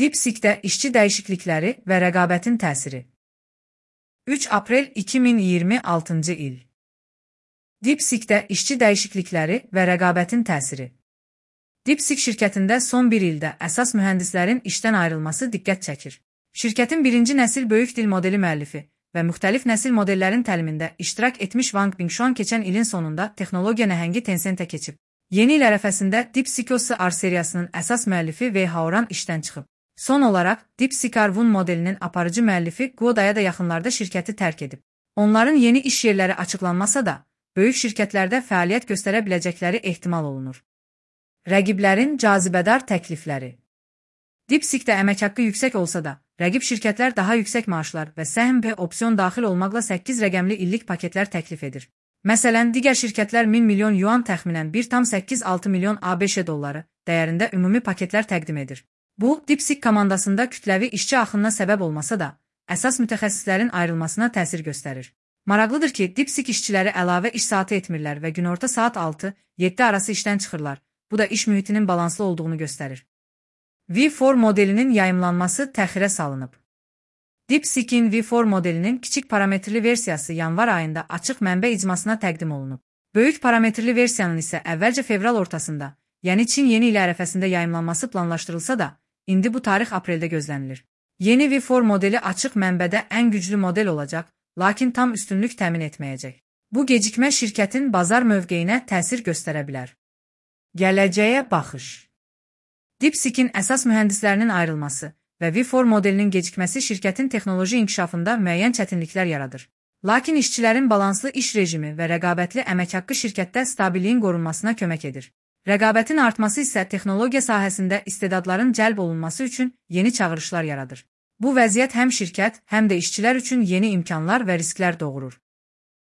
DeepSeek'də işçi dəyişiklikləri və rəqabətin təsiri. 3 aprel 2026-cı il. DeepSeek'də işçi dəyişiklikləri və rəqabətin təsiri. DeepSeek şirkətində son bir ildə əsas mühəndislərin işdən ayrılması diqqət çəkir. Şirkətin birinci nəsil böyük dil modeli müəllifi və müxtəlif nəsil modellərin təlimində iştirak etmiş Wang Bingshuang keçən ilin sonunda texnologiya nəhəngi Tencentə keçib. Yeni il ərəfəsində DeepSeek R seriyasının əsas müəllifi Wei Haoran işdən çıxıb. Son olaraq, DeepSeek R1 modelinin aparıcı müəllifi Guo Daya da yaxınlarda şirkəti tərk edib. Onların yeni iş yerləri açıqlanmasa da, böyük şirkətlərdə fəaliyyət göstərə biləcəkləri ehtimal olunur. Rəqiblərin cazibədar təklifləri. DeepSeek'də əmək haqqı yüksək olsa da, rəqib şirkətlər daha yüksək maaşlar və səhm və opsiyon daxil olmaqla 8 rəqəmli illik paketlər təklif edir. Məsələn, digər şirkətlər 1000 milyon yuan təxminən 1,86 milyon ABŞ dolları dəyərində ümumi paketlər təqdim edir. Bu, DeepSeek komandasında kütləvi işçi axınına səbəb olmasa da, əsas mütəxəssislərin ayrılmasına təsir göstərir. Maraqlıdır ki, DeepSeek işçiləri əlavə iş saatı etmirlər və günorta saat 6-7 arası işdən çıxırlar. Bu da iş mühitinin balanslı olduğunu göstərir. V4 modelinin yayımlanması təxirə salınıb. DeepSeek'in V4 modelinin kiçik parametrli versiyası yanvar ayında açıq mənbə icmasına təqdim olunub. Böyük parametrli versiyanın isə əvvəlcə fevral ortasında, yəni Çin yeni il ərəfəsində yayımlanması planlaşdırılsa da, indi bu tarix apreldə gözlənilir. Yeni V4 modeli açıq mənbədə ən güclü model olacaq, lakin tam üstünlük təmin etməyəcək. Bu gecikmə şirkətin bazar mövqeyinə təsir göstərə bilər. Gələcəyə baxış. DeepSeek'in əsas mühəndislərinin ayrılması və V4 modelinin gecikməsi şirkətin texnoloji inkişafında müəyyən çətinliklər yaradır. Lakin işçilərin balanslı iş rejimi və rəqabətli əmək haqqı şirkətdə stabilliyin qorunmasına kömək edir. Rəqabətin artması isə texnologiya sahəsində istedadların cəlb olunması üçün yeni çağırışlar yaradır. Bu vəziyyət həm şirkət, həm də işçilər üçün yeni imkanlar və risklər doğurur.